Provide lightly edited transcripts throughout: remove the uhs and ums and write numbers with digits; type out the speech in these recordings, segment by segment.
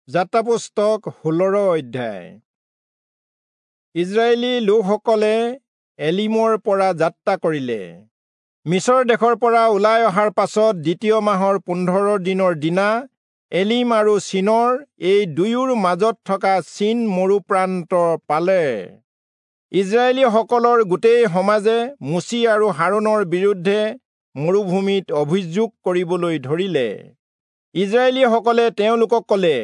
যাত্ৰা পুস্তক 16 অধ্যায়। ইজৰাইলী লোকসকলে এলিমৰ পৰা যাত্ৰা কৰিলে। মিচৰ দেশৰ পৰা ওলাই অহাৰ পাছত দ্বিতীয় মাহৰ 15 দিনৰ দিনা এলিম আৰু চীনৰ এই দুয়োৰ মাজত থকা চীন মৰুপ্ৰান্ত পালে। ইজৰাইলীসকলৰ গোটেই সমাজে মোচি আৰু হাৰোণৰ বিৰুদ্ধে মৰুভূমিত অভিযোগ কৰিবলৈ ধৰিলে। ইজৰাইলীসকলে তেওঁলোকক ক'লে,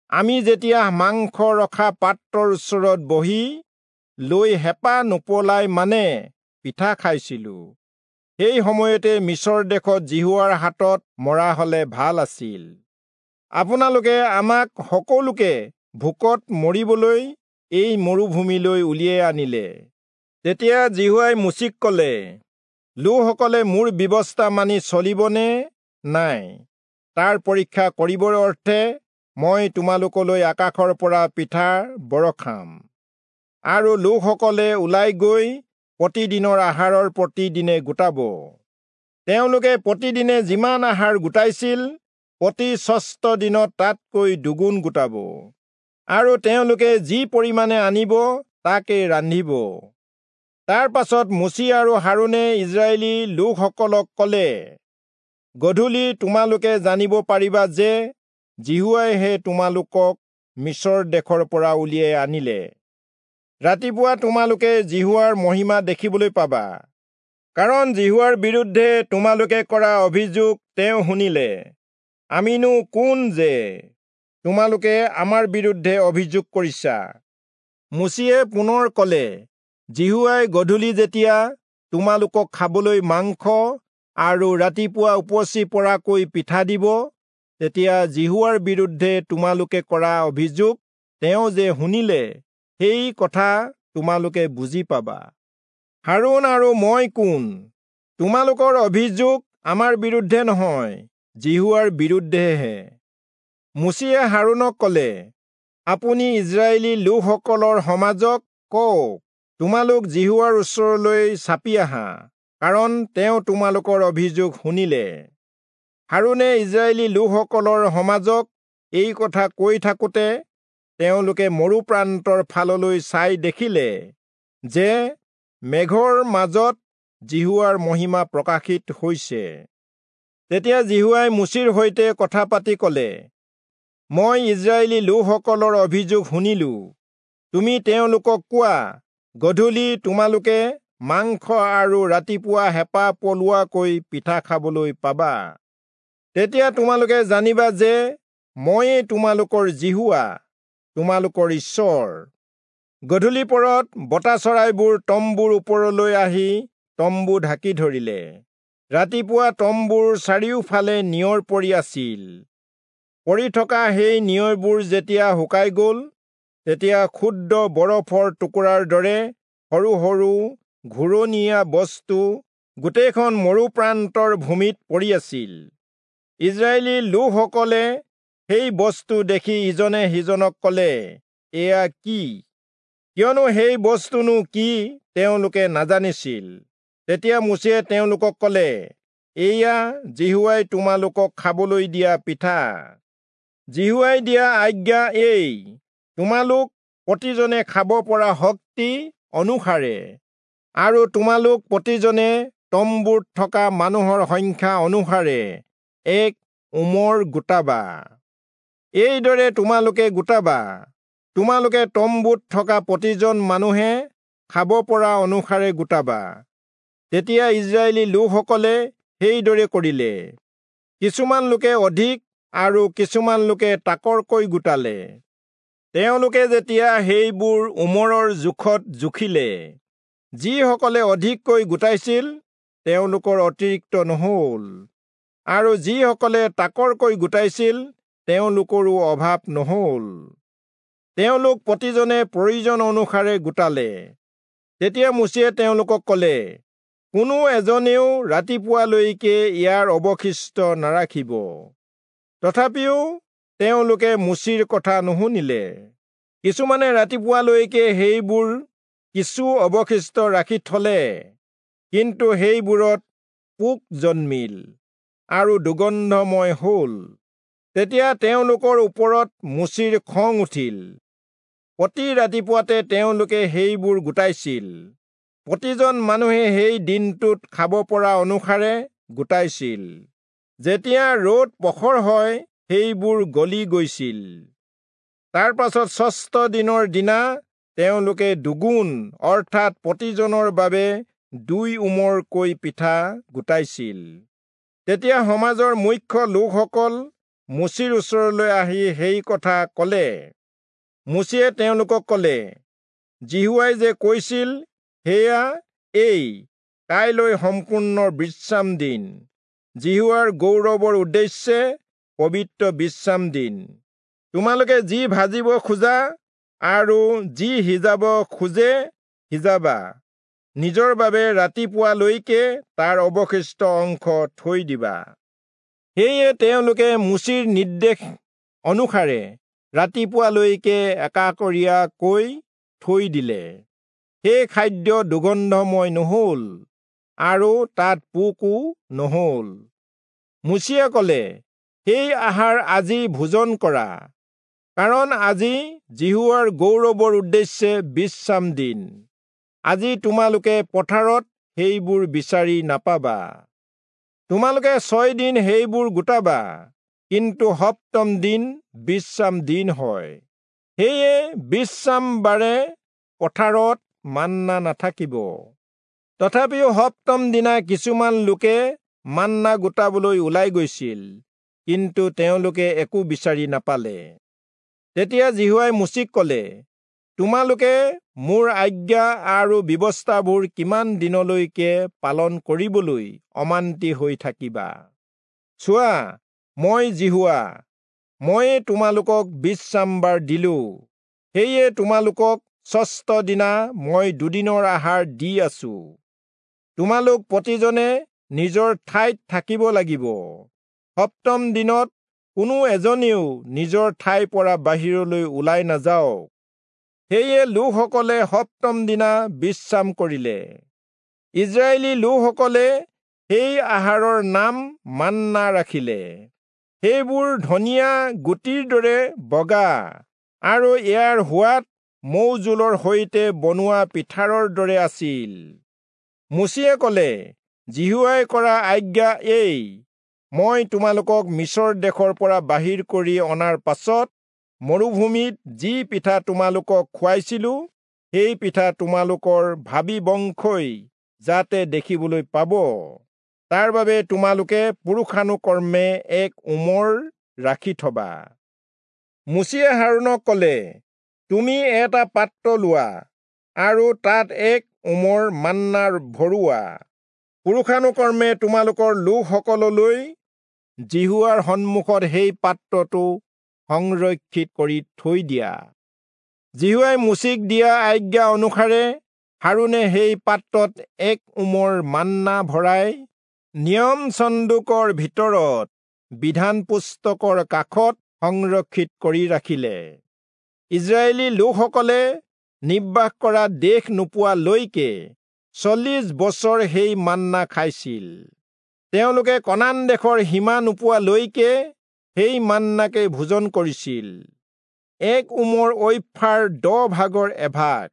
আমি যেতিয়া মাংস ৰখা পাত্ৰৰ ওচৰত বহি লৈ হেঁপাহ নপলাই মানে পিঠা খাইছিলো, সেই সময়তে মিচৰ দেশত যিহোৱাৰ হাতত মৰা হলে ভাল আছিল। আপোনালোকে আমাক সকলোকে ভোকত মৰিবলৈ এই মৰুভূমিলৈ উলিয়াই আনিলে। তেতিয়া যিহোৱাই মোচিক ক'লে, লোকসকলে মোৰ ব্যৱস্থা মানি চলিবনে নাই তাৰ পৰীক্ষা কৰিবৰ অৰ্থে মই তোমালোকলৈ আকাশৰ পৰা পিঠা বৰষাম, আৰু লোকসকলে ওলাই গৈ প্ৰতিদিনৰ আহাৰৰ প্ৰতিদিনে গোটাব। তেওঁলোকে প্ৰতিদিনে যিমান আহাৰ গোটাইছিল প্ৰতি ষষ্ঠ দিনত তাতকৈ দুগুণ গোটাব, আৰু তেওঁলোকে যি পৰিমাণে আনিব তাকে ৰান্ধিব। তাৰ পাছত মোচি আৰু হাৰোণে ইজৰাইলী লোকসকলক ক'লে, গধূলি তোমালোকে জানিব পাৰিবা যে যিহোৱাইহে তোমালোকক মিচৰ দেশৰ পৰা উলিয়াই আনিলে। ৰাতিপুৱা তোমালোকে যিহোৱাৰ মহিমা দেখিবলৈ পাবা, কাৰণ যিহোৱাৰ বিৰুদ্ধে তোমালোকে কৰা অভিযোগ তেওঁ শুনিলে। আমিনো কোন যে তোমালোকে আমাৰ বিৰুদ্ধে অভিযোগ কৰিছা? মোচিয়ে পুনৰ ক'লে, যিহোৱাই গধূলি যেতিয়া তোমালোকক খাবলৈ মাংস আৰু ৰাতিপুৱা উপচি পৰাকৈ পিঠা দিব, তেতিয়া যিহোৱাৰ বিৰুদ্ধে তোমালোকে কৰা অভিযোগ তেওঁ যে শুনিলে সেই কথা তোমালোকে বুজি পাবা। হাৰোণ আৰু মই কোন? তোমালোকৰ অভিযোগ আমাৰ বিৰুদ্ধে নহয়, যিহোৱাৰ বিৰুদ্ধেহে। মোচিয়ে হাৰোণক ক'লে, আপুনি ইজৰাইলী লোকসকলৰ সমাজক কওক, তোমালোক যিহোৱাৰ ওচৰলৈ চাপি আহা, কাৰণ তেওঁ তোমালোকৰ অভিযোগ শুনিলে। হাৰোণে ইজৰাইলী লোকসকলৰ সমাজক এই কথা কৈ থাকোঁতে তেওঁলোকে মৰুপ্ৰান্তৰ ফাললৈ চাই দেখিলে যে মেঘৰ মাজত যিহোৱাৰ মহিমা প্ৰকাশিত হৈছে। তেতিয়া যিহোৱাই মোচিৰ সৈতে কথা পাতি ক'লে, মই ইজৰাইলী লোকসকলৰ অভিযোগ শুনিলো। তুমি তেওঁলোকক কোৱা, গধূলি তোমালোকে মাংস আৰু ৰাতিপুৱা হেঁপাহ পলোৱাকৈ পিঠা খাবলৈ পাবা। তেতিয়া তোমালোকে জানিবা যে ময়েই তোমালোকৰ যিহোৱা, তোমালোকৰ ঈশ্বৰ। গধূলি পৰত বতা চৰাইবোৰ তম্বুৰ ওপৰলৈ আহি তম্বু ঢাকি ধৰিলে। ৰাতিপুৱা তম্বুৰ চাৰিওফালে নিয়ৰ পৰি আছিল। পৰি থকা সেই নিয়ৰবোৰ যেতিয়া শুকাই গ'ল, তেতিয়া ক্ষুদ্ৰ বৰফৰ টুকুৰাৰ দৰে সৰু সৰু ঘূৰণীয়া বস্তু গোটেইখন মৰুপ্ৰান্তৰ ভূমিত পৰি আছিল। ইজৰাইলী লোকসকলে সেই বস্তু দেখি ইজনে সিজনক ক'লে, এয়া কি? কিয়নো সেই বস্তুনো কি তেওঁলোকে নাজানিছিল। তেতিয়া মোচিয়ে তেওঁলোকক ক'লে, এয়া যিহোৱাই তোমালোকক খাবলৈ দিয়া পিঠা। যিহোৱাই দিয়া আজ্ঞা এই, তোমালোক প্ৰতিজনে খাব পৰা শক্তি অনুসাৰে আৰু তোমালোক প্ৰতিজনে তম্বুত থকা মানুহৰ সংখ্যা অনুসাৰে এক ওমৰ গোটাবা। এইদৰে তোমালোকে গোটাবা, তোমালোকে তম্বুত থকা প্ৰতিজন মানুহে খাব পৰা অনুসাৰে গোটাবা। তেতিয়া ইজৰাইলী লোকসকলে সেইদৰে কৰিলে। কিছুমান লোকে অধিক আৰু কিছুমান লোকে তাকৰকৈ গোটালে। তেওঁলোকে যেতিয়া সেইবোৰ ওমৰৰ জোখত জুখিলে, যিসকলে অধিককৈ গোটাইছিল তেওঁলোকৰ অতিৰিক্ত নহ'ল, আৰু যিসকলে তাকৰকৈ গোটাইছিল তেওঁলোকৰো অভাৱ নহ'ল। তেওঁলোক প্ৰতিজনে প্ৰয়োজন অনুসাৰে গোটালে। তেতিয়া মোচিয়ে তেওঁলোকক ক'লে, কোনো এজনেও ৰাতিপুৱালৈকে ইয়াৰ অৱশিষ্ট নাৰাখিব। তথাপিও তেওঁলোকে মোচিৰ কথা নুশুনিলে। কিছুমানে ৰাতিপুৱালৈকে সেইবোৰ কিছু অৱশিষ্ট ৰাখি থলে, কিন্তু সেইবোৰত পোক জন্মিল আৰু দুৰ্গন্ধময় হ'ল। তেতিয়া তেওঁলোকৰ ওপৰত মোচিৰ খং উঠিল। প্ৰতি ৰাতিপুৱাতে তেওঁলোকে সেইবোৰ গোটাইছিল। প্ৰতিজন মানুহে সেই দিনটোত খাব পৰা অনুসাৰে গোটাইছিল। যেতিয়া ৰ'দ প্ৰখৰ হয়, সেইবোৰ গলি গৈছিল। তাৰ পাছত ষষ্ঠ দিনৰ দিনা তেওঁলোকে দুগুণ, অৰ্থাৎ প্ৰতিজনৰ বাবে 2 ওমৰকৈ পিঠা গোটাইছিল। তেতিয়া সমাজৰ মুখ্য লোকসকল মোচিৰ ওচৰলৈ আহি সেই কথা ক'লে। মোচিয়ে তেওঁলোকক ক'লে, যিহোৱাই যে কৈছিল সেয়া এই, কাইলৈ সম্পূৰ্ণ বিশ্ৰাম দিন, যিহোৱাৰ গৌৰৱৰ উদ্দেশ্যে পবিত্ৰ বিশ্ৰাম দিন। তোমালোকে যি ভাজিব খোজা আৰু যি সিজাব খোজে সিজাবা, নিজৰ বাবে ৰাতিপুৱালৈকে তাৰ অৱশিষ্ট অংশ থৈ দিবা। সেয়ে তেওঁলোকে মোচিৰ নিৰ্দেশ অনুসাৰে ৰাতিপুৱালৈকে একাকৰীয়াকৈ থৈ দিলে। সেই খাদ্য দুৰ্গন্ধময় নহল আৰু তাত পোকো নহল। মোচিয়ে ক'লে, সেই আহাৰ আজি ভোজন কৰা, কাৰণ আজি যিহোৱাৰ গৌৰৱৰ উদ্দেশ্যে বিশ্ৰাম দিন। আজি তোমালোকে পথাৰত সেইবোৰ বিচাৰি নাপাবা। তোমালোকে 6 দিন সেইবোৰ গোটাবা, কিন্তু সপ্তম দিন বিশ্ৰাম দিন হয়। সেয়ে বিশ্ৰামবাৰে পথাৰত মান্না নাথাকিব। তথাপিও সপ্তম দিনা কিছুমান লোকে মান্না গোটাবলৈ ওলাই গৈছিল, কিন্তু তেওঁলোকে একো বিচাৰি নাপালে। তেতিয়া যিহোৱাই মোচিক ক'লে, তোমালোকে মোৰ আজ্ঞা আৰু ব্যৱস্থাবোৰ কিমান দিনলৈকে পালন কৰিবলৈ অমান্তি হৈ থাকিবা? চোৱা, মই যিহোৱা, ময়ে তোমালোকক বিশ্ৰামবাৰ দিলো। সেয়ে তোমালোকক ষষ্ঠ দিনা মই দুদিনৰ আহাৰ দি আছো। তোমালোক প্ৰতিজনে নিজৰ ঠাইত থাকিব লাগিব। সপ্তম দিনত কোনো এজনেও নিজৰ ঠাইৰ পৰা বাহিৰলৈ ওলাই নাযাওক। সেয়ে লোকসকলে সপ্তম দিনা বিশ্ৰাম কৰিলে। ইজৰাইলী লোকসকলে সেই আহাৰৰ নাম মান্না ৰাখিলে। সেইবোৰ ধনিয়া গুটিৰ দৰে বগা আৰু ইয়াৰ সোৱাদ মৌজোলৰ সৈতে বনোৱা পিঠাৰৰ দৰে আছিল। মোচিয়ে ক'লে, যিহোৱাই কৰা আজ্ঞা এই, মই তোমালোকক মিচৰ দেশৰ পৰা বাহিৰ কৰি অনাৰ পাছত মৰুভূমিত যি পিঠা তোমালোকক খুৱাইছিলো, সেই পিঠা তোমালোকৰ ভাবী বংশই যাতে দেখিবলৈ পাব, তাৰ বাবে তোমালোকে পুৰুষানুকৰ্মে এক ওমৰ ৰাখি থবা। মোচিয়ে হাৰোণক ক'লে, তুমি এটা পাত্ৰ লোৱা আৰু তাত এক ওমৰ মান্না ভৰোৱা। পুৰুষানুকৰ্মে তোমালোকৰ লোকসকললৈ যিহোৱাৰ সন্মুখত সেই পাত্ৰটো সংৰক্ষিত কৰি থৈ দিয়া। যিহোৱাই মোচিক দিয়া আজ্ঞা অনুসাৰে হাৰোণে সেই পাত্ৰত এক ওমৰ মান্না ভৰাই নিয়ম চন্দুকৰ ভিতৰত বিধান পুস্তকৰ কাষত সংৰক্ষিত কৰি ৰাখিলে। ইজৰাইলী লোকসকলে নিবাস কৰা দেশ নোপোৱালৈকে 40 বছৰ সেই মান্না খাইছিল। তেওঁলোকে কনান দেশৰ সীমা নোপোৱালৈকে সেই মান্নাকে ভোজন কৰিছিল। এক ওমৰ ঐফাৰ 10 ভাগৰ এভাগ।